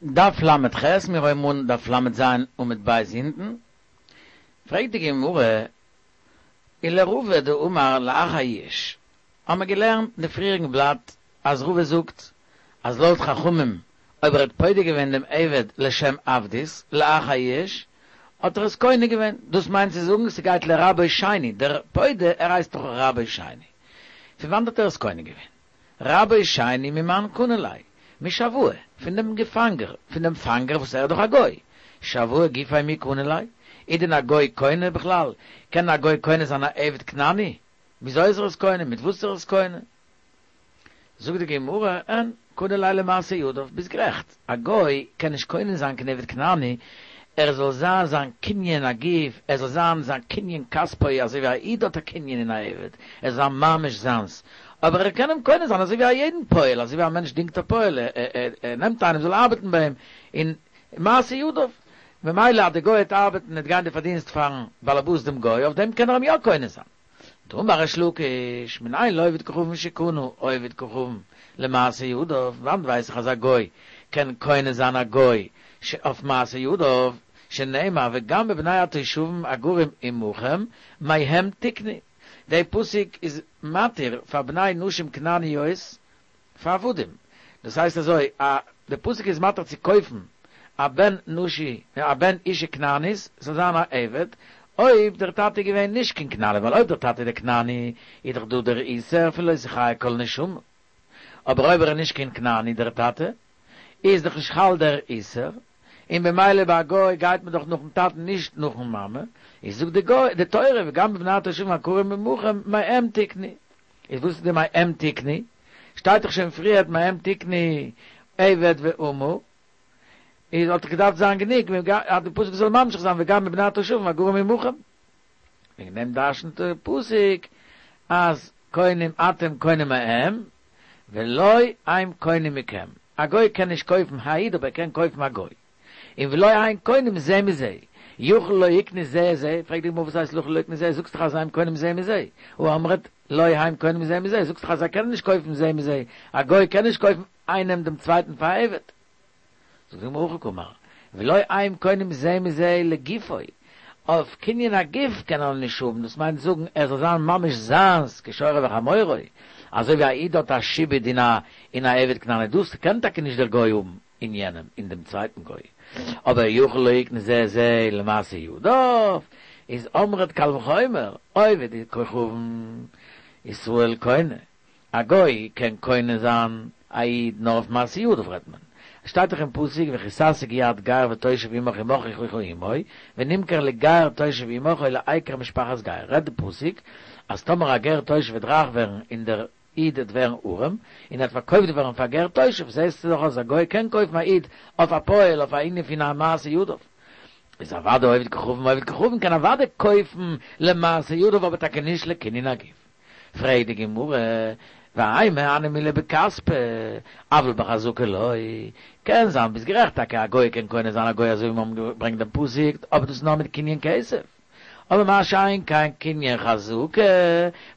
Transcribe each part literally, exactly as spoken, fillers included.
דף ל"ח, מיר הויבן אן דף ל"ז עמוד ב' אונטן, פרעגט די גמרא, ולרבא דאמר לאחר יאוש, האמער געלערנט אין די פריעריגן בלאט אז רבא זאגט אז לויט חכמים אויב ער האט פודה געווען דעם עבד לשם עבדות לאחר יאוש האט ער עס קונה געווען, דאס מיינט צו זאגן ס'גייט לרבו שני, דער פודה ער הייסט דאך רבו שני, פון וואנט האט ער עס קונה געווען? רבו שני ממאן קני ליה? משבאי, פון דעם געפאנגער, פון דעם פאנגער וואס ער איז דאך א גוי, שבאי גופיה מי קני ליה? איז דען א גוי קונה בכלל? קען א גוי קונה זיין א עבד כנעני? וויאזוי איז ער עס קונה? מיט וואס איז ער עס קונה? זאגט די גמרא, אין, קני ליה למעשה ידיו, ביסט גערעכט, א גוי קען נישט קונה זיין קיין עבד כנעני, ער זאל זיין זיין קנין הגוף, ער זאל זיין זיין קנין כספו, אזוי ווי א איד האט א קנין אין א עבד, ער זאל זיין ממש זיינס, אבער ער קען אים קונה זיין אזוי ווי א יעדן פועל, אזוי ווי א מענטש דינגט א פועל, ער נעמט איינעם זאל ארבעטן ביי אים, און מעשה ידיו, ממילא אז די גוי וועט ארבעטן וועט גיין די פארדינסט פארן באלעבאס דעם גוי, אויף דעם קען ער אים יא קונה זיין. דאמר ריש לקיש, מנין לעובד כוכבים שקנה עובד כוכבים למעשה ידיו, וואנט ווייס איך אז א גוי קען קונה זיין א גוי אויף מעשה ידיו, שנאמר וגם בבני התושבים הגרים עמכם מהם תקנו, די פסוק איז מתיר פאר בני נשים כנעניות פאר עבדים, דאס הייסט אזוי א די פסוק איז מתיר צו קויפן א בן נשי א בן אישה כנענית זאל זיין א עבד, אויב דער טאטע איז געווען נישט קיין כנעני, ווייל אויב דער טאטע איז דער כנעני איז דאך דא דער איסור פון לא תחיה כל נשמה, אבער אויב ער איז נישט קיין כנעני דער טאטע, איז דאך נישט חל דער איסור, און במילא ביי א גוי גייט מען דאך נאכן טאטן נישט נאכן מאמע, איז זאגט די גוי די תורה וגם בבני התושבים הגרים עמכם מהם תקנו, איז וואס איז די מהם תקנו? שטייט דאך שוין פריערט מהם תקנו עבד ואמה, איז וואלט דאך געדארפט זיין גענוג אז די פסוק זאל ממשיך זיין וגם בבני התושבים הגרים עמכם. וועגן דעם דרשנ'ט די פסוק אז קונים אתם קונים מהם ולא הם קונים מכם, א גוי קען נישט קויפן א איד אבער ער קען קויפן א גוי, און ולא הם קונים זה מזה, יכול לא יקנו זה את זה, פרעגט די גמרא וואס הייסט יכול לא יקנו זה, זאגסט דאך אז הם קונים זה מזה, הא אמרת לא הם קונים זה מזה, זאגסט דאך אז זיי קענען נישט קויפן זה מזה, א גוי קען נישט קויפן איינעם דעם צווייטן פאר א עבד. זאגט די גמרא הכי קאמר, ולא הם קונים זה מזה לגופו, אויף קנין הגוף קען ער נישט האבן, דאס מיינט זאגן ער זאל זיין ממש זיינס כשורו וחמורו, אזוי ווי א איד האט א שעבוד אין א אין א עבד כנעני, דאס קען טאקע נישט דער גוי האבן אין יענעם אין דעם צווייטן גוי, אבער יכול לא יקנה זה את זה למעשה ידיו, איז אמרת קל וחומר, עובד כוכבים ישראל קונה, א גוי קען קונה זיין א איד נאר אויף מעשה ידיו רעדט מען. עס שטייט דאך אין פסוק וכי תשיג יד גר ותושב עמך ומכרך עמו ונמכר לגר תושב עמך או לעקר משפחת גר רעדט די פסוק אז טאמער א גר תושב וועט רייך ווערן און דער איד וועט ווערן ארעם און ער וועט פארקויפט ווערן פאר גר תושב זעסטו דאך אז א גוי קען קויפן א איד אויף א פועל אויף א ענין פון א מעשה ידיו איז אוודאי עובד כוכבים עובד כוכבים קען אוודאי קויפן למעשה ידיו אבער טאקע נישט לקנין הגוף. פרעגט די גמרא, והאי מהני מילי בכספא, אבל בחזקה לא, קען זיין ביסט גערעכט טאקע א גוי קען קונה זיין א גוי אזוי ווי מיר האבן געברענגט דעם פסוק, אבער דאס איז נאר מיט קנין כסף, אבער מה שאין כן קנין חזקה,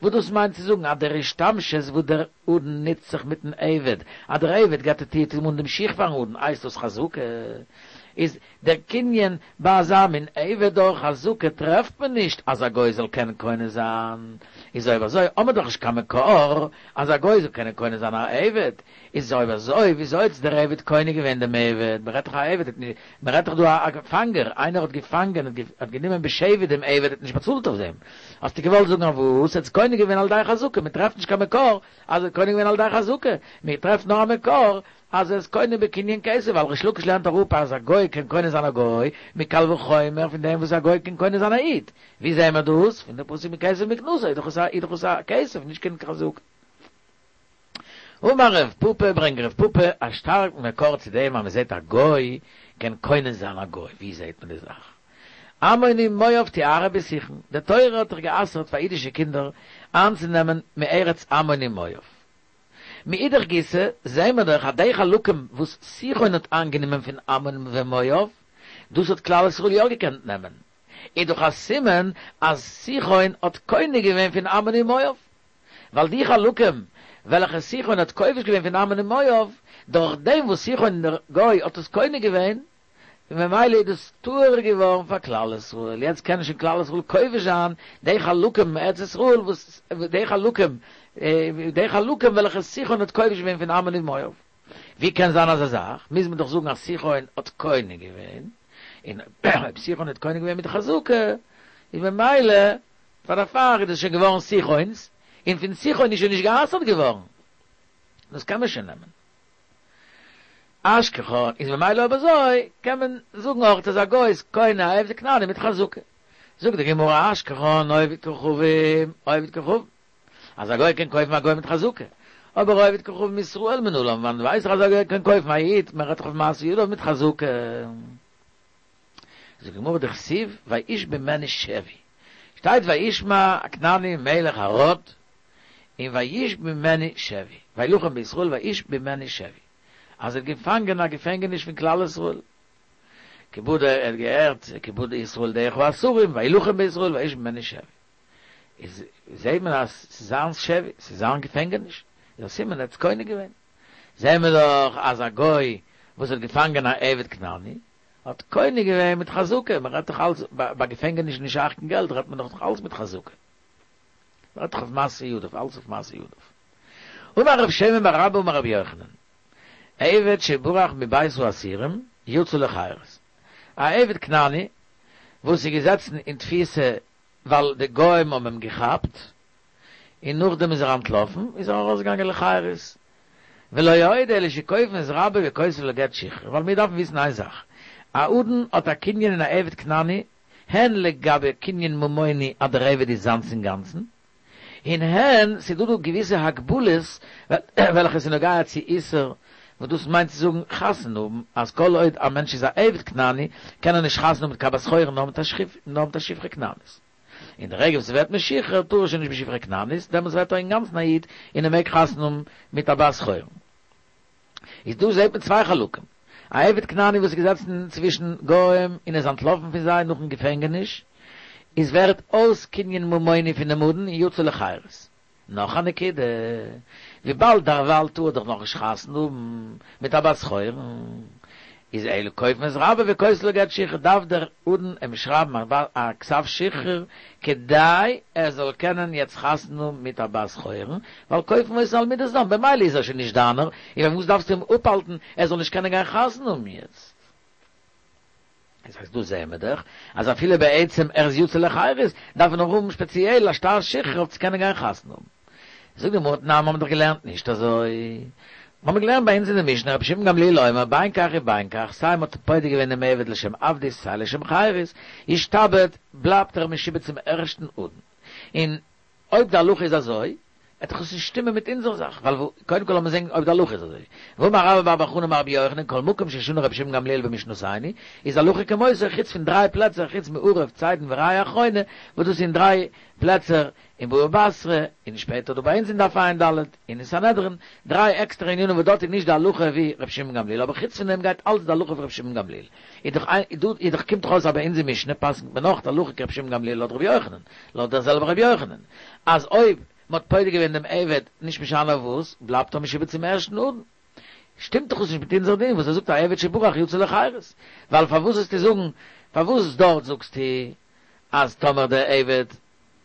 וואס דאס מיינט צו זאגן אז דער השתמשות וואס דער אדון נוצט זיך מיטן עבד, אז דער עבד גייט ער טוט אים אן דעם שיך פארן אדון, הייסט דאס חזקה, איז דער קנין ביי אזא מין עבד דורך חזקה טרעפט מען נישט אז א גוי זאל קענען קונה זיין, איז אויב אזוי האמער דאך נישט קיין מקור אז א גוי זאל קענען קונה זיין א עבד, איז אויב אזוי וויאזוי האט דער עבד קונה געווען דעם עבד, מען רעדט דאך א עבד האט נישט, מען רעדט דאך דא א פאנגער, איינער האט געפאנגען האט גענומען בשבי דעם עבד האט נישט באצאלט אויף דעם, האסטו געוואלט זאגן אז וואס ער האט עס קונה געווען על ידי חזקה, מען טרעפט נישט קיין מקור אז ער האט קונה געווען על ידי חזקה, מען טרעפט נאר א מקור אז ער איז קונה בקנין כסף, ווייל ריש לקיש לערנט אראפ אז א גוי קען קונה זיין א גוי, מקל וחומר פון דעם וואס א גוי קען קונה זיין א איד. ווי זעהן מיר דאס? פון די פסוק מכסף מקנתו, איז דאך עס א איז דאך עס א כסף, נישט קיין חזקה. אמר רב פפא, ברענגט רב פפא א שטארקן מקור צו דעם אז מען זעהט א גוי קען קונה זיין א גוי, ווי זעהט מען די זאך? עמון ומואב תיארע בסיחון, די תורה האט דאך גע'אסר'ט פאר אידישע קינדער איינצונעמען מארץ עמון ומואב. מאידך גיסא זעהן מיר דאך אז די חלקים וואס סיחון האט איינגענומען פון עמון ומואב, דאס האט כלל ישראל יא געקענט נעמען, איז דאך א סימן אז סיחון האט קונה געווען פון עמון ומואב, ווייל די חלקים וועלכע סיחון האט כובש געווען פון עמון ומואב, דורך דעם וואס סיחון דער גוי האט עס קונה געווען, און ממילא איז דאס טהור געווארן פאר כלל ישראל, יעצט קען שוין כלל ישראל כובש זיין די חלקים מארץ ישראל וואס די חלקים די חלקים וועלכע סיחון האט כובש געווען פון עמון ומואב. ווי קען זיין אזא זאך? מוז מען דאך זאגן אז סיחון האט קונה געווען, און אויב סיחון האט קונה געווען מיט חזקה, איז ממילא פאר דערפאר איז דאס שוין געווארן סיחון'ס, און פון סיחון איז שוין נישט גע'אסר'ט געווארן. דאס קען מען שוין נעמען. אשכחן, איז ממילא אויב אזוי קען מען זאגן אויך אז א גוי איז קונה א עבד כנעני מיט חזקה. זאגט די גמרא אשכחן עובד כוכבים, עובד כוכבים, אז א גוי קען קויפן א גוי מיט חזקה, אבער עובד כוכבים מישראל מנלן, וואנעט ווייס איך אז א גוי קען קויפן א איד, מען רעדט דאך אויף מעשה ידיו מיט חזקה. זאגט די גמרא דכתיב וישבי ממנו שבי, שטייט וישמע הכנעני מלך ערד און וישבי ממנו שבי, וילחם בישראל וישבי ממנו שבי, אז ער האט געפאנגען א געפענגעניש פון כלל ישראל, כי בא ער האט געהערט כי בא ישראל דרך האסורים וילחם בישראל וישבי ממנו שבי, איז זעהט מען אז ס'איז זיין שבי, ס'איז זיין געפענגעניש, איז א סימן ער האט עס קונה געווען. זעהן מיר דאך אז א גוי וואס האט געפאנגען א עבד כנעני האט קונה געווען מיט חזקה, מען רעדט דאך אלץ ביי געפענגעניש נישט שייך קיין געלט, רעדט מען דאך אלץ מיט חזקה. מען רעדט דאך אויף מעשה ידיו, אלץ אויף מעשה ידיו. אמר רב שמן בר אבא אמר רבי יוחנן, עבד שברח מבית האסירים יצא לחירות. א עבד כנעני וואס איז געזעצן אין תפיסה ווייל די גוים האבן אים געכאפט, און נאכדעם איז ער אנטלאפן, איז ער ארויסגעגאנגען לחירות. ולא עוד אלא שכופין את רבו וכותבין לו גט שחרור, ווייל מיר דארפן וויסן איין זאך, א אדון האט א קנין אין א עבד כנעני, הן לגבי קנין ממוני אז דער עבד איז זיינס אינגאנצן, און הן ס'איז דא דא געוויסע הגבלות וועלכע איז נוגע צו איסור, וואס דאס מיינט צו זאגן חתונה האבן, אז כל עוד א מענטש איז א עבד כנעני קען ער נישט חתונה האבן מיט קיין בת חורין נאר מיט א שפחה כנענית. אין די רגע וואס ס'ווערט משוחרר טאר ער שוין נישט בשפחה כנענית, דעמאלטס ווערט ער אינגאנצן א איד און ער מעג חתונה האבן מיט א בת חורין. איז דא זעט מען צוויי חלקים, א עבד כנעני וואס איז געזעצן צווישן גוים און איז אנטלאפן פון זיי נאכן געפענגעניש, איז ווערט אויס קנין ממוני פונעם אדון און יצא לחירות. נאך א נקודה, וויבאלד דערווייל טאר ער דאך נאכנישט חתונה האבן מיט א בת חורין, איז אלא כופין את רבו וכותבין לו גט שחרור, דארף דער אדון אים שרייבן א כתב שחרור כדי ער זאל קענען יעצט חתונה האבן מיט א בת חורין, ווייל כופין אותו על מידת דם, במילא איז ער שוין נישט דיינער, און פארוואס דארפסטו אים אפהאלטן ער זאל נישט קענען גיין חתונה האבן יעצט? דאס הייסט דא זעהן מיר דאך אז אפילו בעצם ער איז יצא לחירות דארף ער נאך האבן שפעציעל א שטר שחרור אויף צו קענען גיין חתונה האבן. זאגט די גמרא תנן האבן דאך געלערנט נישט אזוי. מיר האבן געלערנט ביי אונז אין די משנה רבי שמעון גמליאל אומר בין כך ובין כך סיי מ'האט פודה געווען דעם עבד לשם עבדות סיי לשם חירות ישתעבד בלייבט ער משועבד צום ערשטן אדון און אויב די הלכה איז אזוי, וועט דאך עס נישט שטימען מיט אונזער זאך, ווייל קודם כל לאמיר זען אויב די הלכה איז אזוי. והאמר רבה בר בר חנה אמר רבי יוחנן כל מקום ששנה רבי שמעון גמליאל במשנתנו, איז הלכה כמותו חוץ פון דריי פלעצער חוץ מערב צידון וראיה אחרונה, וואס דאס איז אין דריי פלעצער אין בבא בתרא, און שפעטער דא ביי אונז אין דף ע"ד, און אין סנהדרין, דריי עקסטערע ענינים וואס דארט איז נישט די הלכה ווי רבי שמעון גמליאל, אבער חוץ פון דעם גייט אלץ די הלכה ווי רבי שמעון גמליאל. איז דאך איז דאך קומט דאך אויס אז ביי אונזער משנה פסק'נט מען נאך די הלכה כרבי שמעון גמליאל לויט רבי יוחנן, לויט דער זעלבער רבי יוחנן, אז אויב מען האט פודה געווען דעם עבד נישט משנה אויף וואס, בלייבט ער משועבד צום ערשטן אדון. שטימט דאך עס נישט מיט אונזער דין וואס ער זאגט א עבד שברח יצא לחירות, ווייל פארוואס זאלסטו זאגן, פארוואס דארט זאגסטו אז טאמער דער עבד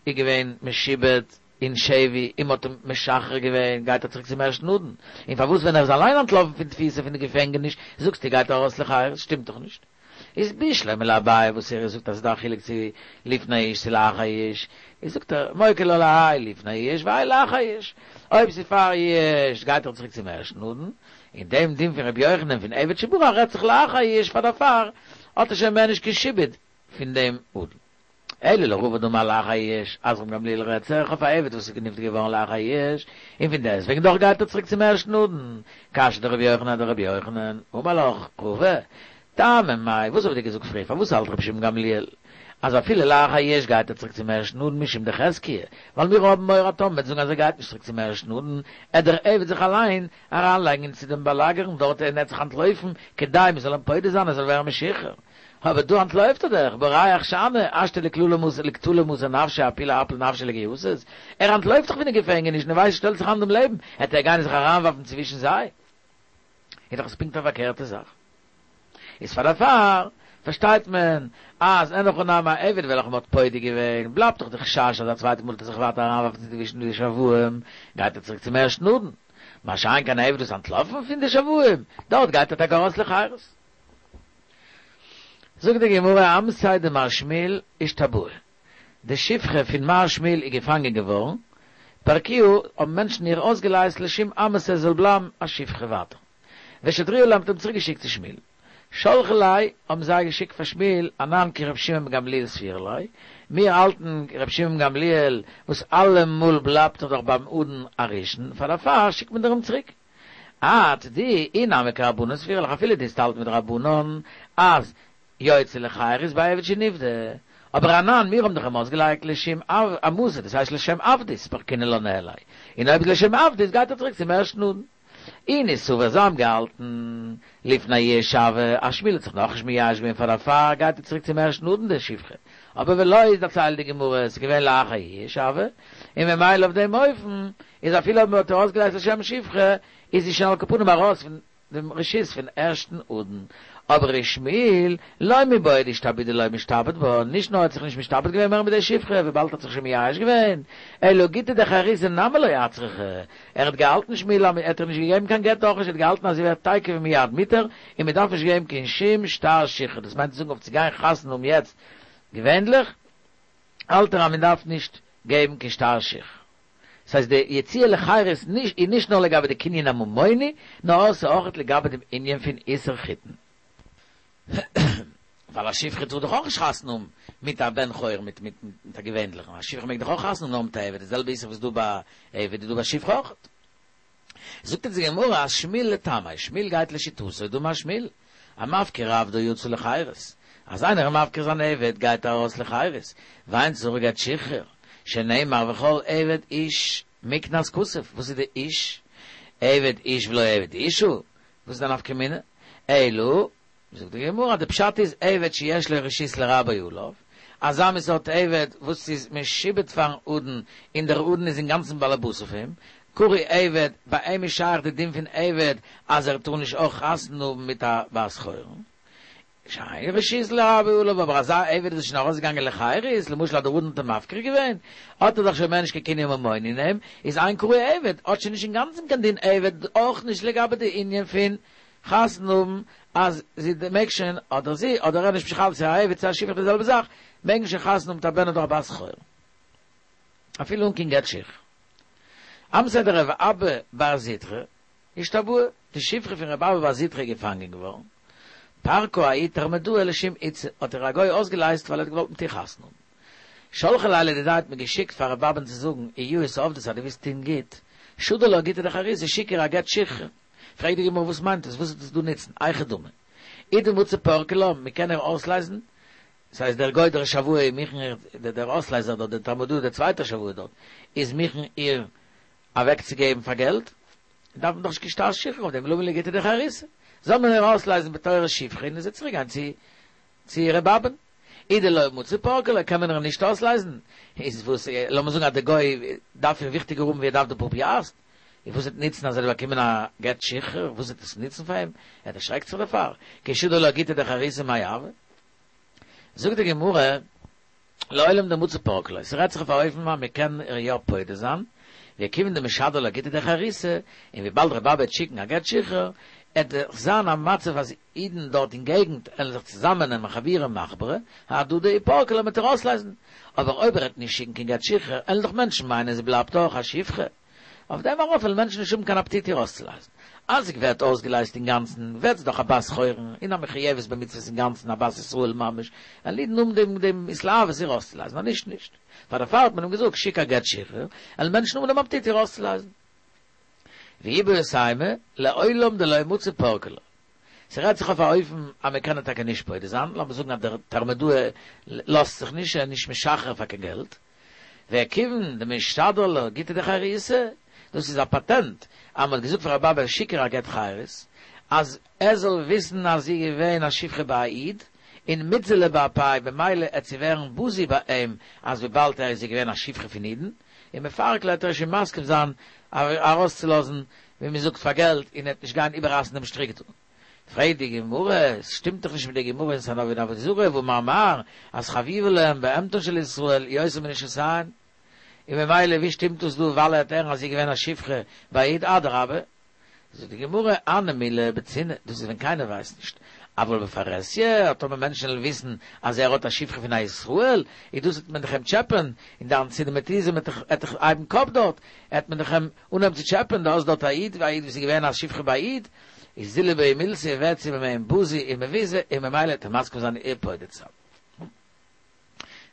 איז געווען משועבד אין שבי און מ'האט אים משחרר געווען גייט ער צוריק צום ערשטן אדון, און פארוואס ווען ער איז אליין אנטלאפן פון תפיסה פון די געפענגעניש זאגסטו גייט ער ארויס לחירות, שטימט דאך נישט. איז בשלמא לאביי וואס ער זאגט אז ס'איז דא א חילוק צו לפני יאוש צו לאחר יאוש, איז זאגט ער מוקי לה להאי לפני יאוש והאי לאחר יאוש, אויב ס'איז פאר יאוש גייט ער צוריק צום ערשטן אדון, און דעם דין פון רבי יוחנן פון עבד שברח רעדט זיך לאחר יאוש פאר דערפאר האט ער שוין מער נישט קיין שעבוד פון דעם אדון. אלא לרבא דאמר לאחר יאוש, אז ר' גמליאל רעדט זיך אויף א עבד וואס איז נפדה געווארן לאחר יאוש, און פון דעסטוועגן דאך גייט ער צוריק צום ערשטן אדון, קשיא דרבי יוחנן אדרבי יוחנן, אמר לך רבא, טעמא מאי, וואס האב איך דיר געזאגט פריער, פארוואס האלט רבי שמעון גמליאל אז אפילו לאחר יאוש גייט ער צוריק צום ערשטן אדון משום דחזקיה, ווייל מיר האבן מורא טאמער מ'וועט זאגן אז ער גייט נישט צוריק צום ערשטן אדון, עט דער עבד זיך אליין אריינלייגן צו דעם באלאגערן דארט און עט זיך אנטלויפן כדי מ'זאל אים פודה זיין ער זאל ווערן משוחרר. אבער דא אנטלויפט ער דאך, בורח שאני, השתא לקטלא מסר נפשיה אפולי אפיל נפשיה לגייסות, ער אנטלויפט דאך פון די געפענגעניש און ער ווייסט שטעלט זיך איין דעם לעבן, העט ער גיין זיך אריינווארפן צווישן זיי. איז דאך עס פונקט א פארקערטע זאך. איז פאר דערפאר פארשטייט מען אז אין הכי נמי א עבד וועלכן מ'האט פודה געווען, בלייבט דאך די חשש אז א צווייטע מאל וועט ער זיך ווייטער אריינווארפן צווישן די שבוים, גייט ער צוריק צום ערשטן אדון. מה שאין כן א עבד וואס איז אנטלאפן פון די שבוים, דארט גייט ער טאקע ארויס לחירות. זאגט די גמרא אמתיה דמר שמואל אישתבאי, די שפחה פון מר שמואל איז געפאנגען געווארן, פרקוה האבן מענטשן איר אויסגעלייזט לשום אמתא זי זאל בלייבן א שפחה ווייטער. ושדרוה ליה מ'האט אים צוריק געשיקט צו שמואל. שלחו ליה האבן זיי געשיקט פאר שמואל אנן כר' שמעון בן גמליאל סבירא לן, מיר האלטן ר' שמעון בן גמליאל וואס אלעמאל בלייבט ער דאך ביים אדון הראשון, פאר דערפאר שיקט מען דיר אים צוריק. את דו אי נמי כרבנן סבירא לך אפילו דו וועסט האלטן מיט די רבנן אז יוצא לחירות בעבד שנפדה, אבער אנן מיר האבן דאך אים אויסגעלייזט לשם אמתא דאס הייסט לשם עבדות פרקינן לה ניהליה, און אויב איז לשם עבדות גייט ער צוריק צום ערשטן אדון. אינהו סבור זיי האבן געהאלטן לפני יאוש הוה אז שמואל האט זיך נאכנישט מייאש געווען פאר דערפאר גייט ער צוריק צום ערשטן אדון די שפחה, אבער ולא איז דערציילט די גמרא עס איז געווען לאחר יאוש הוה, און ממילא אויף דעם אופן איז אפילו אויב מען האט איר אויסגעלייזט לשם שפחה איז זי שוין על כל פנים ארויס פון דעם רשות פון ערשטן אדון, אבער ושמואל, לא מיבעיא דאישתעבודי לא משתעבד בה, נישט נאר האט זיך נישט משתעבד געווען מער מיט די שפחה, וויבאלד ער האט זיך שוין מייאש געווען, אלא גיטא דחירותא נמי לא אצרכה, ער האט געהאלטן שמואל אז מען האט איר נישט געגעבן קיין גט אויך נישט, ער האט געהאלטן אז זי ווערט תיכף ומיד מותר, און מען דארף נישט געבן קיין שום שטר שחרור, דאס מיינט צו זאגן אויף צו גיין חתונה האבן יעצט געווענליך האלט ער אז מען דארף נישט געבן קיין שטר שחרור. ס'הייסט די יציאה לחירות איז נישט נאר לגבי די קנין הממוני, נאר ס'איז אויך לגבי דעם ענין פון איסור חיתון. ווייל א שפחה טאר דאך אויך נישט חתונה האבן מיט א בן חורין, מיט מיט א געווענליכן, א שפחה מעג דאך אויך חתונה האבן נאר מיט א עבד, די זעלבע איסור וואס איז דא ביי עבד איז דא ביי שפחה אויך. זאגט אונז די גמרא אז שמואל לטעמיה, שמואל גייט לשיטתו, דאמר שמואל, המפקיר עבדו יצא לחירות, אז איינער איז מפקיר זיין עבד גייט ער ארויס לחירות, ואין צריך גט שחרור, שנאמר וכל עבד איש מקנת כסף, וואס איז די איש? עבד איש ולא עבד אשה, וואס איז די נפקא מינה? אלא, זאגט די גמרא, די פשט איז עבד שיש לו רשות לרבו עליו, אזא מין סארט עבד וואס איז משועבד פארן אדון און דער אדון איז אינגאנצן באלעבאס אויף אים, קרוי עבד, ביי אים איז שייך די דין פון עבד אז ער טאר נישט אויך חתונה האבן מיט א בת חורין. שאין רשות לרבו עליו, אבער אזא עבד וואס איז שוין ארויסגעגאנגען לחירות, למשל אז דער אדון האט אים מפקיר געווען, האט ער דאך שוין מער נישט קיין קנין ממוני אין אים, איז אין קרוי עבד, האט שוין נישט אינגאנצן קיין דין עבד, אויך נישט לגבי די ענין פון חתונה האבן, אז זי מעג שוין, אדער זי, אדער ער, נישט בכלל צו א עבד צו א שפחה די זעלבע זאך, מעגן שוין חתונה האבן מיט א בן אדער א בת חורין. אפילו אן קיין גט שחרור. אמתיה דרב אבא בר זוטרא, אישתבאי, די שפחה פון רב אבא בר זוטרא איז געפאנגען געווארן, פרקה ההוא תרמודאי לשום איתתא, האט איר א גוי אויסגעלייזט ווייל ער האט געוואלט מיט איר חתונה האבן. שלחו ליה לדידיה האט מען געשיקט פאר רב אבא'ן צו זאגן, אי יאות עבדת אז דו ווילסט טון גוט, שדר לה גיטא דחירותא, שיק איר א גט שחרור. פרעגט די גמרא וואס מיינט עס, וואס וועט עס דא נוצן, היכי דמי. אי דמצי פרקי לה, מען קען איר אויסלייזן, ס'הייסט דער גוי דער שבוי איז מוכן איר, דער אויסלייזער דארט, דער תרמודאי דער צווייטער שבוי דארט, איז מוכן איר אוועקצוגעבן פאר געלט, דארף מען דאך נישט קיין שטר שחרור אויף דעם, למה לי גיטא דחירותא, זאל מען איר אויסלייזן בתורת שפחה און זי צוריק גיין צו צו ר' אבא'ן. אי דלא מצי פרקי לה קען מען איר נישט אויסלייזן, איז וואס, לאמיר זאגן אז דער גוי דארף איר וויכטיגער האבן ווי ער דארף די פאר פיאסט, איז וואס וועט נוצן אז ער וועט באקומען א גט שחרור, וואס וועט עס נוצן פאר אים, ער דערשרעקט זיך דערפאר, כי שדר לה גיטא דחירותא מאי הוי. זאגט די גמרא, לעולם דמצי פרקי לה, ס'רעדט זיך אויף א אופן אז מ'קען איר יא פודה זיין, וכיוון דמשדר לה גיטא דחירותא, און וויבאלד ר' אבא וועט שיקן א גט שחרור, עט דאך זיין א מצב אז אידן דארט אין געגנט עלן זיך צוזאמען נעמען חבורה מחברה, אהדדי ופרקי לה מ'עט איר אויסלייזן, אבער אויב ער עט נישט שיקן קיין גט שחרור, עלן דאך מענטשן מיינען זי בלייבט אויך א שפחה. אויף דעם ארויף וועלן מענטשן נישט האבן קיין אפעטיט איר אויסצולייזן. אז זי ווערט אויסגעלייזט אינגאנצן, ווערט זי דאך א בת חורין, און א מחויבת במצוות אינגאנצן, א בת ישראל ממש, וועלן אידן האבן דעם דעם התלהבות איר אויסצולייזן, אז נישט נישט. פאר דערפאר האט מען אים געזאגט, שיק א גט שחרור, וועלן מענטשן האבן דעם אפעטיט איר אויסצולייזן. ואיבעית אימא, לעולם דלא מצי פרקי לה. ס'רעדט זיך אויף א אופן אז מען קען איר טאקע נישט פודה זיין, לאמיר זאגן אז דער תרמודאי לאזט זיך נישט, ער איז נישט משחרר פאר קיין געלט, וכיוון דמשדר לה גיטא דחירותא, דאס איז א פאטענט אז מען האט געזאגט פאר ר' אבא שיק איר א גט חירות, אז ער זאל וויסן אז זי איז געווען א שפחה ביי א איד, און מיתזלא באפיה במילא עט זי ווערן בזוי ביי אים אז וויבאלד ער איז זי געווען א שפחה פון אידן, ומפרק לה עט ער שוין מסכים זיין ארויסצולאזן ווי מען זאגט פאר געלט, און ער וועט נישט גיין איבעררייסן דעם שטריק דא. פרעגט די גמרא, עס שטימט דאך נישט מיט די גמרא אין סנא עבודה זרה, והאמר מר, אז חביבה להם בהמתן של ישראל יותר מנשותיהן. און ממילא ווי שטימט דאס דא ווייל ער וועט הערן אז זי איז געווען א שפחה ביי א איד אדרבה זאגט די גמרא הני מילי בצנעה דאס איז ווען קיינער ווייסט נישט אבל בפרהסיא טאמער מענטשן וועלן וויסן אז ער האט א שפחה פון א ישראל איז דאס וועט מען דאך אים טשעפען און די אנטיסעמיטיזם וועט דאך וועט דאך הייבן קאפ דארט וועט מען דאך אים אנהייבן צו טשעפען דו האסט דארט א איד א איד וואס איז געווען א שפחה ביי א איד איז זיל ביה מילתא ווערט זי ביי אים בזוי און מבוזה און ממילא וועט ער מסכים זיין איר פודה צו זיין.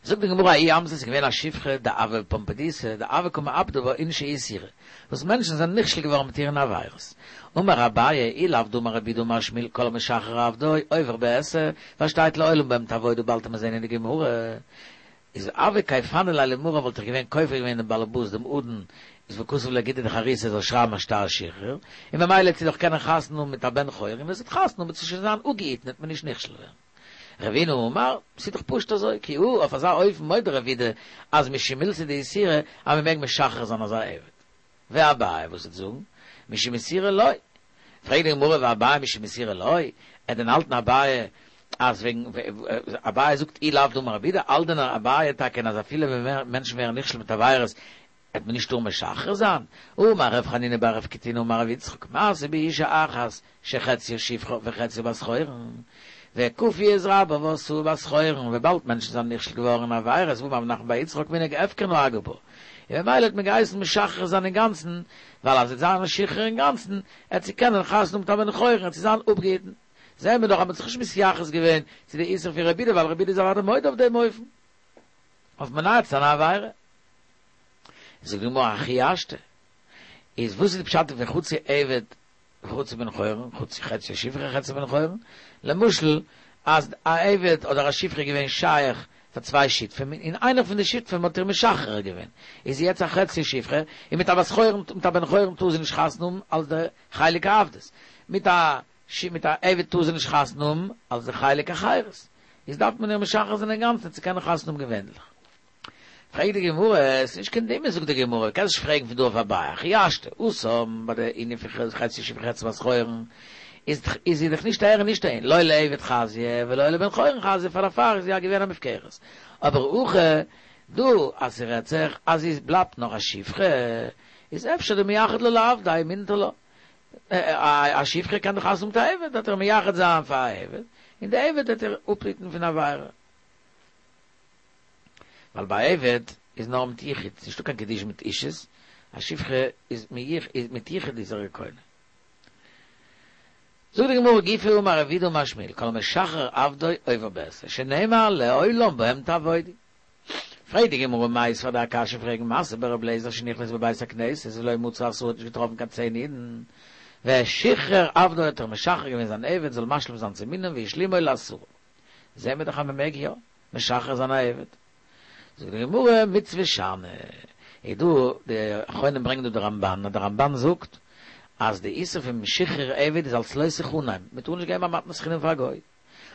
זאגט די גמרא ההיא אמתא ס'איז געווען א שפחה דהוה בפומבדיתא דהוו קא מעבדא בה אינשי איסורא וואס מענטשן זענען נכשל געווארן מיט איר אין עבירות אמר אביי אי לאו דאמר רב יהודה אמר שמואל כל המשחרר עבדו עובר בעשה ווייל שטייט לעולם בהם תעבודו באלד וועט מען זען אין די גמרא איז הוה כייפנא ליה למריה וואלט איך געווען כופה געווען דעם באלעבאס דעם אדון איז וכתב ליה גיטא דחירותא ער זאל שרייבן א שטר שחרור און ממילא וועט זי דאך קענען חתונה האבן מיט א בן חורין ווען זי וועט חתונה האבן וועט זי שוין זיין אפגעהיטן וועט מען נישט נכשל ווערן. רבינא אמר, ס'איז דאך פשוט אזוי, כי הא, אויף אזא אופן מודה רב יהודה אז משום מילתא דאיסורא אז מ'מעג משחרר זיין אזא עבד. ואביי וואס וועט זאגן? משום איסורא לא. פרעגט די גמרא ואביי משום איסורא לא? וועט דען האלטן אביי אז וועגן אביי זאגט אי לאו דאמר רב יהודה, האלט דען אביי טאקע אז אפילו ווען מענטשן ווערן נכשל מיט עבירות וועט מען נישט טארן משחרר זיין? אמר רב חנינא בר רב קטינא אמר רב יצחק, מעשה באשה אחת שחציה שפחה וחציה בת חורין, וכפו את רבה ועשאוה בת חורין, וויבאלד מענטשן זענען נכשל געווארן אין עבירות ואמר רב נחמן בר יצחק מנהג הפקר נהגו בה, און ממילא האט מען געהייסן משחרר זיין אינגאנצן, ווייל אז זי וועט זיין משוחרר אינגאנצן, עט זי קענען חתונה האבן מיט א בן חורין, עט זי זיין אפגעהיטן. זעהן מיר דאך אז מען האט זיך נישט מתייחס געווען צו די איסור פון רב יהודה, ווייל רב יהודה איז אוודאי מודה אויף דעם אופן, אויף מונע צו זיין א עבירה. זאגט די גמרא הכי השתא, איז וואס איז די פשט פון חצי עבד וחצי בן חורין, חצי חצי שפחה חצי בן חורין, למשל אז א עבד אדער א שפחה איז געווען שייך פאר צוויי שותפים און איינער פון די שותפים האט איר משחרר געווען, איז זי יעצט א חצי שפחה, און מיט א בת חורין מיט א בן חורין טאר זי נישט חתונה האבן אלס די חלק העבדות, מיט א מיט א עבד טאר זי נישט חתונה האבן אלס די חלק החירות, איז דארף מען איר משחרר זיין אינגאנצן צו קענען חתונה האבן געווענליך. פרעגט די גמרא, עס איז נישט קיין דמיון זאגט די גמרא, קענסט נישט פרעגן פון דא אויף אביי, הכי השתא, התם ביי די ענין פון חצי שפחה חצי בת חורין, איז איז זי דאך נישט אהער און נישט אהין, לא לעבד חזיא ולא לבן חורין חזיא, פאר דערפאר איז זי יא געווען א מופקרת. אבער הכא דא אז ס'רעדט זיך אז זי בלייבט נאך א שפחה, איז אפשר דמייחד לה לעבדיה ומינטר לה. א שפחה קען דאך חתונה האבן מיט א עבד, וועט ער מייחד זיין פאר א עבד, און די עבד וועט איר אפהיטן פון עבירה. ווייל ביי עבד איז נאר מיט יחוד, ס'נישטא קיין קידושין מיט אישות, א שפחה איז מיט יחוד איז ער קונה. זאגט די גמרא גופא אמר רב יהודה אמר שמואל כל המשחרר עבדו עובר בעשה שנאמר לעולם בהם תעבודו. פרעגט די גמרא מיתיבי כ'וועל דיר א קשיא פרעגן מעשה ברב לעזער שנכנס בבית הכנסת ולא מצא עשרה האט נישט געטראפן קיין צען אידן ושחרר עבדו האט ער משחרר געווען זיין עבד זאל משלים זיין צום מנין והשלימו לעשרה זעהן מיר דאך אז מען מעג יא משחרר זיין א עבד. זאגט די גמרא מצוה שאני. איז דא די אחרונים ברענגען דא די רמבן אז די רמבן זאגט אז די איסור פון שחרור עבד איז אלס לא תחנם, מען טאר נישט געבן א מתנת חינם פאר א גוי.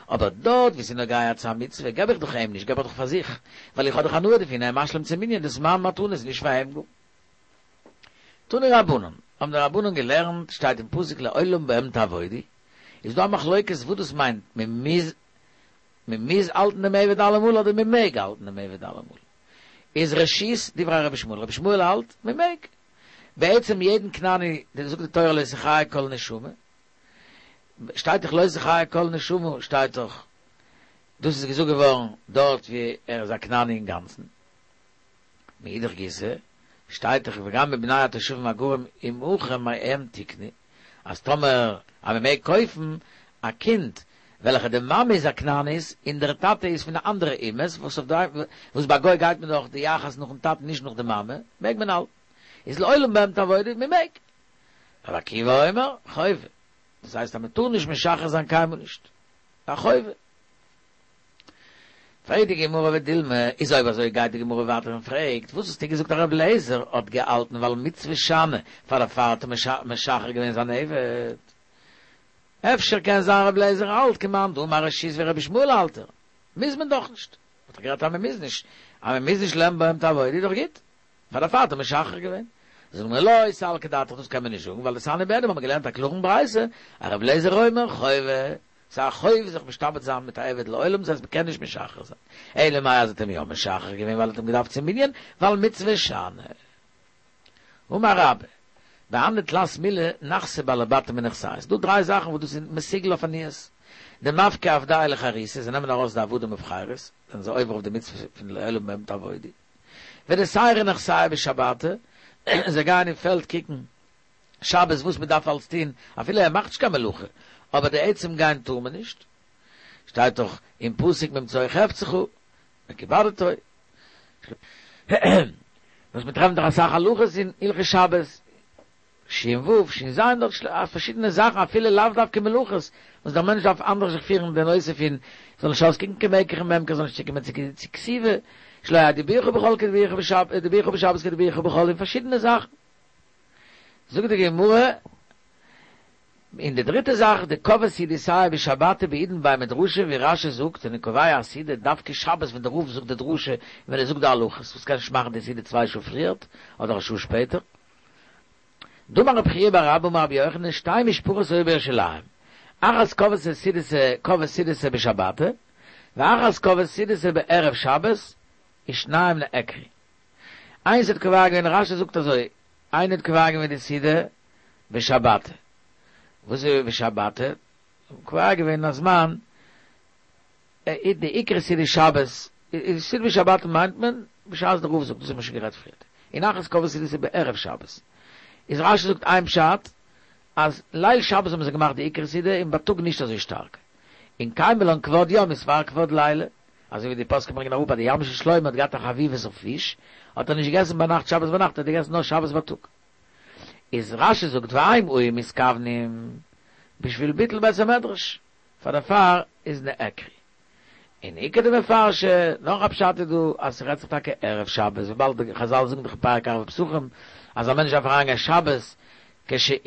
אבער דארט ווי ס'איז נוגע צו א מצוה געב איך דאך אים נישט, געב איך דאך פאר זיך, ווייל איך האב דאך הנאה דערפון, ער איז משלים צום מנין, דאס איז מיין מתנה, ס'איז נישט פאר אים גאר. תנו רבנן, האבן די רבנן געלערנט, שטייט אין פסוק לעולם בהם תעבודו, איז דא א מחלוקת וואס דאס מיינט, מען מוז מען מוז האלטן דעם עבד אלעמאל אדער מען מעג האלטן דעם עבד אלעמאל? איז ראשית דברי רבי ישמעאל, רבי ישמעאל האלט מען מעג. בעצם יעדן כנעני, זאגט די תורה לא תחיה כל נשמה, שטייט דאך לא תחיה כל נשמה שטייט דאך, דאס איז געזאגט געווארן דארט ווי ער איז א כנעני אינגאנצן. מאידך גיסא, שטייט דאך וגם מבני התושבים הגרים עמכם מהם תקנו, אז טאמער אז מען מעג קויפן א קינד וועלכע די מאמע איז א כנענית און דער טאטע איז פון די אנדערע אומות, וואס אויף די וואס ביי גוי גייט מען דאך די יחס נאכן טאטן נישט נאך די מאמע, מעג מען האלטן. איז לעולם בהם תעבודו, מען מעג. רבי עקיבא אומר, חובה. דאס הייסט אז מען טאר נישט משחרר זיין קיינמאל נישט. א חובה. פרעגט די גמרא ודילמא, איז אויב אזוי גייט די גמרא ווייטער און פרעגט, וואס האסטו געזאגט אז רבי אליעזר האט געהאלטן ווייל מצוה שאני, פאר דערפאר האט ער משחרר געווען זיין עבד? אפשר קען זיין רבי אליעזר האלט כמאן דאמר רשות ווי רבי ישמעאל האלט ער, מוז מען דאך נישט, האט ער גערעדט אז מען מוז נישט, אז מען מוז נישט לעולם בהם תעבודו איז דאך גוט, פאר דערפאר האט ער משחרר געווען. זאגן מיר לא סלקא דעתך דאס קען מען נישט זאגן ווייל דתניא ביי דעם האבן מיר געלערנט א קלארן ברייתא אז רבי אליעזר אומר חובה ס'איז א חוב זיך משתעבד זיין מיט א עבד לעולם דאס הייסט מ'קען נישט משחרר זיין אלא מאי אז ער האט אים יא משחרר געווען ווייל ער האט אים געדארפט צום מנין ווייל מצוה שאני אמר רבה בהני תלת מילי נחתי בעלי בתים מנכסייהו ס'דא דריי זאכן וואס דאס איז מסוגל אויף עניות דמפקי עבדייהו לחירותא זיי נעמען ארויס די עבדים אויף חירות זענען זיי עובר אויף די מצוה פון לעולם בהם תעבודו ודסיירי נכסייהו בשבתא זיי גייען אין פעלד קוקן שבת וואס מען דארף אלס טון אפילו ער מאכט נישט קיין מלאכה אבער די עצם גיין טאר מען נישט שטייט דאך אין פסוק ממצוא חפצך וכבדתו וואס מען טרעפט דאך אסאך הלכות אין הלכות שבת שין ו' שין ז' דארט פארשידענע זאכן אפילו לאו דווקא מלאכות וואס דער מענטש דארף אנדערש זיך פירן די נושא פון זאל נישט אויסקוקן כמקח וממכר זאל נישט צוקומען צו כתיבה שלא יהא דיבורך בחול כדיבורך בשבת כדיבורך בחול און פארשידענע זאכן זאגט די גמרא און די דריטע זאך דקבעי סעודתייהו בשבתא בעידן בי מדרשא ווי רשי זאגט זענען קובע א סעודה דווקא שבת ווען די רב זאגט די דרשה און ווען ער זאגט די הלכות וואס קען נישט מאכן די סעודה צוויי שעה פריערט אדער א שעה שפעטער דאמר רב חייא בר אבא אמר רבי יוחנן שתי משפחות היו בירושלים אחת קבעה סעודתה קבעה סעודתה בשבתא ואחת קבעה סעודתה בערב שבת ושניהם נעקרו איינס האט קובע געווען רשי זאגט אזוי איינער האט קובע געווען די סעודה בשבתא וואס איז בשבתא? קובע געווען א זמן די עיקר סעודה שבת סעודה בשבתא מיינט מען בשעת די רב זאגט דאס האט מען שוין גערעדט פריערט און אחת קבעה סעודתה בערב שבת איז רשי זאגט איין פשט אז ליל שבת האבן זיי געמאכט די עיקר סעודה און בייטאג נישט אזוי שטארק און קיימא לן כבוד יום איז פאר כבוד לילה אזוי ווי די פוסקים ברענגען אראפ אז די ים של שלמה האט געהאט א חביבות אויף פיש האט ער נישט געגעסן ביינאכט שבת ביינאכט האט ער געגעסן נאר שבת בייטאג איז רשי זאגט והם היו מתכוונים בשביל ביטול בית המדרש פאר דערפאר איז נעקרו. און איכא דמפרשי, נאך א פשט איז דא אז ס'רעדט זיך טאקע ערב שבת וויבאלד די חזל זאגן דאך אין פרק ערבי פסחים אז א מענטש דארף אריינגיין שבת כשהוא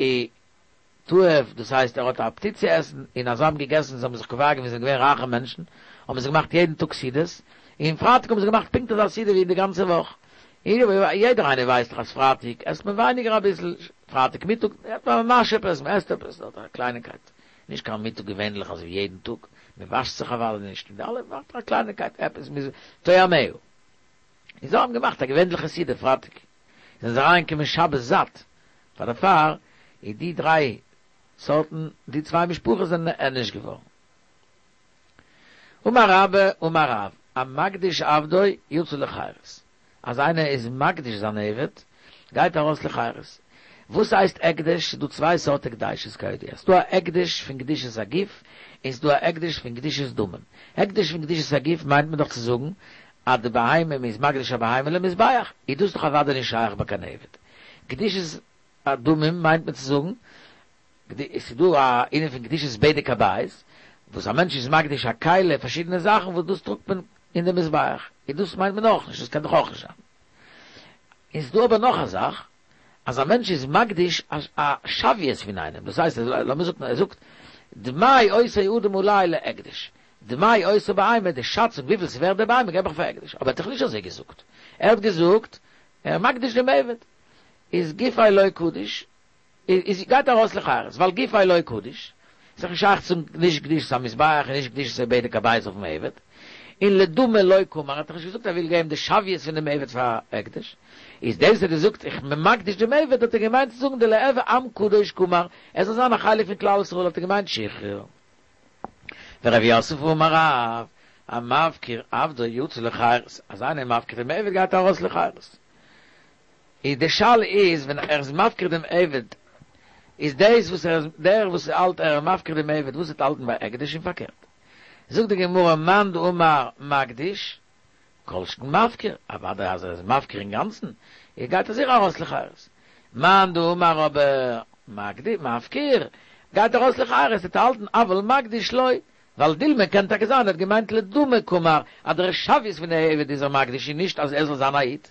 תאב דאס הייסט ער האט א אפעטיט צו עסן און אז זיי האבן געגעסן זיי האבן זיך קובע געווען זיי זענען געווען רייכע מענטשן האבן זיי געמאכט יעדן טאג סעודות און פרייטאג האבן זיי געמאכט פונקט אזא סעודה ווי אין די גאנצע וואך יעדער איינער ווייסט דאך אז פרייטאג עסט מען ווייניגער אביסל, פרייטאג מיטאג האט מען ממש עפעס, מען עסט עפעס, אדער א קלייניקייט, נישט קיין מיטאג געווענליך אזוי ווי יעדן טאג, מען וואשט זיך אוודאי נישט, און די אלע מאכט א קלייניקייט עפעס, מ'איז טועמיה. און זיי האבן געמאכט א געווענליכע סעודה פרייטאג, זענען זיי אריינגעקומען שבת זאט, פאר דערפאר איז די דריי סארטן, די צוויי משפחות זענען נענש געווארן. אמר רבה אמר רב, המקדיש עבדו יצא לחירות, אז איינער איז מקדיש זיין עבד, גייט ער ארויס לחירות. וואס הייסט הקדש? ס'איז דא צוויי סארט הקדשות כידוע, ס'איז דא א הקדש פון קדושת הגוף, און ס'איז דא א הקדש פון קדושת דמים. הקדש פון קדושת הגוף מיינט מען דאך צו זאגן אז די בהמה, מ'איז מקדיש א בהמה למזבח, איז דאס דאך אוודאי נישט שייך ביי קיין עבד. קדושת הדמים מיינט מען צו זאגן עס איז דא א ענין פון קדושת בדק הבית, וואס א מענטש איז מקדיש א כלי, פארשידענע זאכן וואס דאס טראגט מען אין די מזבח, און דאס מיינט מען אויך נישט, דאס קען דאך אויך נישט זיין. איז דא אבער נאך א זאך, אז א מענטש איז מקדיש א שוויות פון איינעם, דאס הייסט, לאמיר זאגן, ער זאגט, דמי אותו אדם עלי להקדש, דמי אותה בהמה, די שאצונג וויפיל ס'ווערט די בהמה געב איך פאר הקדש, אבער ער האט דאך נישט אזוי געזאגט, ער האט געזאגט, ער איז מקדיש דעם עבד, איז גופיה לא קדיש, איז גייט ארויס לחירות, ווייל גופיה לא קדיש, איז דאך נישט שייך צו נישט קדושת המזבח און נישט קדושת בדק הבית אויפן עבד, און לדמי לא קאמר האט דאך נישט געזאגט ער וויל געבן די שוויות פון דעם עבד פאר הקדש, איז דאס האט ער געזאגט איך בין מקדיש דעם עבד האט ער געמיינט צו זאגן דליהוי עם קדוש קאמר, ער זאל זיין א חלק פון כלל ישראל האט ער געמיינט שחרור. ורב יוסף אמר רב, המפקיר עבדו יצא לחירות, אז איינער איז מפקיר דעם עבד גייט ער ארויס לחירות. איז די שאלה איז ווען ער איז מפקיר דעם עבד איז דאס וואס ער איז דער וואס האלט ער איז מפקיר דעם עבד וואס וועט האלטן ביי הקדש און פארקערט זאגט די גמרא מאן דאמר מקדיש כל שכן מפקיר אוודאי אז ער איז מפקיר אינגאנצן איז גייט ער זיכער ארויס לחירות מאן דאמר אבער מפקיר גייט ארויס לחירות וועט האלטן אבל מקדיש לא ווייל דילמא קען טאקע זיין ער האט געמיינט לדמי קאמר אז דער שוויות פון די עבד איז ער מקדיש און נישט אז ער זאל זיין א איד.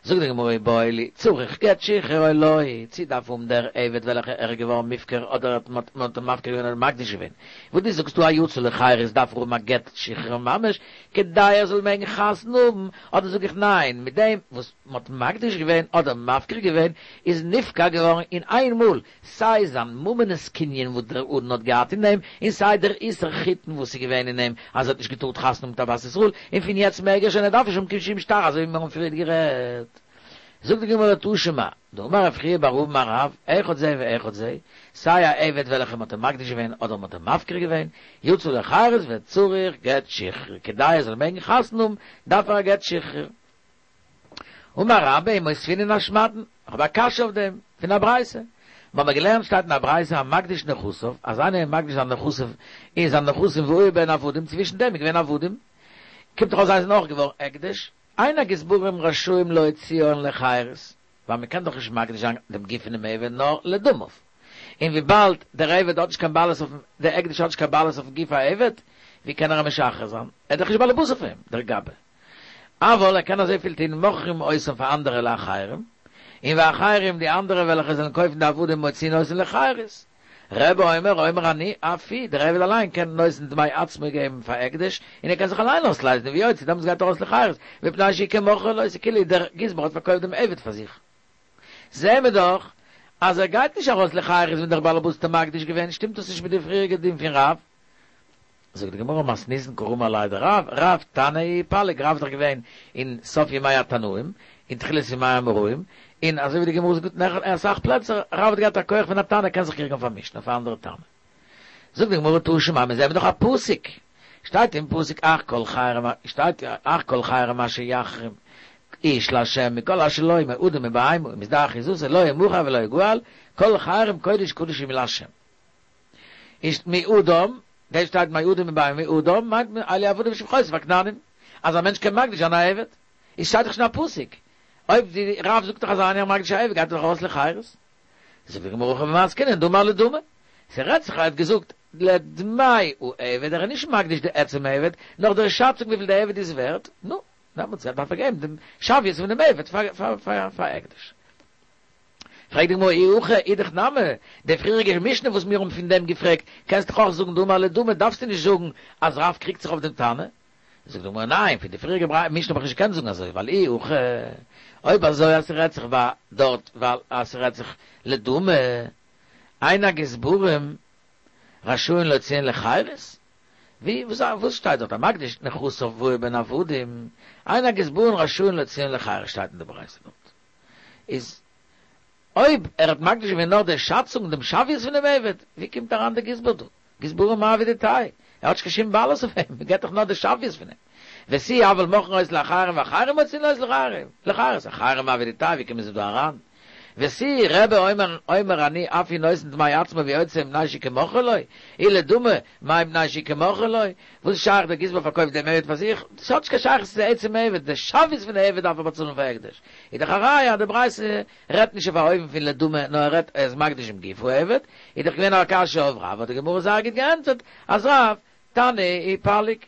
זאגט די גמרא איבעיא להו, צריך גט שחרור או לא, צי דארף האבן דער עבד וועלכע ער איז געווארן מופקר אדער האט מען האט אים מפקיר געווען אדער מקדיש געווען, וואס דו זאגסט דא א יצא לחירות דארף ער האבן א גט שחרור ממש כדי ער זאל מעגן חתונה האבן, אדער זאג איך ניין, מיט דעם וואס מען האט מקדיש געווען אדער מפקיר געווען איז נפקע געווארן אין איין מאל סיי זיין ממונות קנין וואס דער אדון האט געהאט אין אים, און סיי דער איסור חיתון וואס איז געווען אין אים אז ער האט נישט געטארט חתונה האבן מיט א בת ישראל, און פון יעצט מעג ער שוין ער דארף נישט האבן קיין שום שטר אזוי ווי מיר האבן פריערט גערעדט. זאגט די גמרא תא שמע, דאמר רב חייא בר אבא אמר רב, אחד זה ואחד זה, סיי א עבד וועלכע מ'האט אים מקדיש געווען אדער מ'האט אים מפקיר געווען, יצא לחירות וצריך גט שחרור, כדי ער זאל מעגן חתונה האבן דארף ער א גט שחרור. אמר רבה ומותבינן אשמעתין, איך האב א קשיא אויף דעם, פון א ברייתא. מיר האבן געלערנט שטייט אין א ברייתא המקדיש נכסיו, אז איינער איז מקדיש זיין נכסיו און זיין נכסים והיו בהן עבדים, צווישן דעם איז געווען עבדים, קומט דאך אויס זיי זענען אויך געווארן הקדש, אין הגזברים רשאים להוציאן לחירות, ווייל מען קען דאך נישט מקדיש זיין דעם גוף פונעם עבד נאר לדמיו, און וויבאלד דער עבד האט נישט קיין בעלות אויפן, דער הקדש האט נישט קיין בעלות אויפן גוף העבד, ווי קען ער אים משחרר זיין? ער איז דאך נישט בעל הבית אויף אים, דער גבאי. אבל ער קען אזויפיל טון מוכרים אותם פאר אנדערע לאחרים, און ואחרים די אנדערע וועלכע זאלן קויפן די עבדים מוציאין אותן לחירות. רבי אומר אומר אני אף הוא, דער עבד אליין קען נותן דמי עצמו געבן פאר הקדש, און ער קען זיך אליין אויסלייזן ויוצא, דעמאלטס גייט ער ארויס לחירות, מפני שהוא כמוכרו לו, ס'כאילו דער גזבר האט פארקויפט דעם עבד פאר זיך. זעהן מיר דאך אז ער גייט נישט ארויס לחירות ווען דער בעל הבית האט אים מקדיש געווען, שטימט דאס נישט מיט די פריעריגע דין פון רב? זאגט די גמרא מתניתין קרמא עליה דרב, רב תנא ופליג, רב איז דאך געווען אין סוף ימי התנאים, אין תחילת ימי האמוראים, און אזוי ווי די גמרא זאגט אין אסאך פלעצער, רב האט געהאט א כח פון א תנא, קען זיך קריגן אויף א משנה, אויף א אנדערע תנא. זאגט די גמרא תא שמע, מיר זעען דאך א פסוק, שטייט אין פסוק אך כל חרם, שטייט אך כל חרם אשר יחרים איש לה' מכל אשר לו מאדם מבהמה ומשדה אחוזתו לא ימכר ולא יגאל, כל חרם קודש קדשים לה'. איז מאדם, דא שטייט מאדם מבהמה מאדם מיינט מען אלו עבדים ושפחות והכנענים, אז א מענטש קען מקדיש זיין א עבד, איז שטייט דאך שוין א פסוק, אויב די רב זאגט דאך אז איינער מקדיש א עבד גייט ער דאך ארויס לחירות. זאגט די גמרא הכא במאי עסקינן דאמר לדמי, ס'רעדט זיך ער האט געזאגט לדמי העבד ער איז נישט מקדיש די עצם עבד, נאר דער שאצונג וויפיל די עבד איז ווערט, נו, דעמאלטס דארף ער געבן דעם שוויות פון דעם עבד פאר הקדש. פרעגט די גמרא אי הכי אידך נמי, די פריעריגע משנה וואס מיר האבן פון דעם געפרעגט, קענסט דאך אויך זאגן דאמר לדמי, דארפסטו נישט זאגן אז רב קריגט זיך אויף דעם תנא. זאגט די גמרא ניין, פון די פריעריגע משנה האב איך נישט געקענט זאגן אזוי, ווייל אי הכי, אויב אזוי אז ס'רעדט זיך ביי דארט ווייל אז ס'רעדט זיך לדמי, אין הגזברים רשאין להוציאן לחירות? ווי וואס שטייט דארט המקדיש נכסיו והיו בהן עבדים, אין הגזברים רשאין להוציאן לחירות שטייט אין די ברייתא דארט. איז אויב ער האט מקדיש געווען נאר די שאצונג דעם שוויות פון דעם עבד, ווי קומט אריין דער גזבר דא? גזברים מאי עבידתייהו? ער האט נישט קיין שום בעלות אויף אים, מען געבט דאך נאר די שוויות פון אים. ותו אבל מוכרין אותו לאחרים ואחרים מוציאין אותו לחירות, אחרים מאי עבידתייהו, ווי קומען זיי דא אריין? ותו רבי אומר אומר אני אף הוא נותן דמי עצמו ויוצא מפני שהוא כמוכרו לו, אי לדמי מאי מפני שהוא כמוכרו לו, וואס איז שייך דער גזבר פארקויפט דעם עבד פאר זיך, דאס האט נישט קיין שייכות צו די עצם עבד, די שוויות פון די עבד דארף ער באצאלן פאר הקדש, איז דאך א ראיה אז די ברייתא רעדט נישט אויף א אופן פון לדמי נאר ער רעדט ער איז מקדיש דעם גוף העבד, איז דאך געווען א קשיא אויף רב האט די גמרא זייער גוט געענטפערט אז רב תנא ופליג.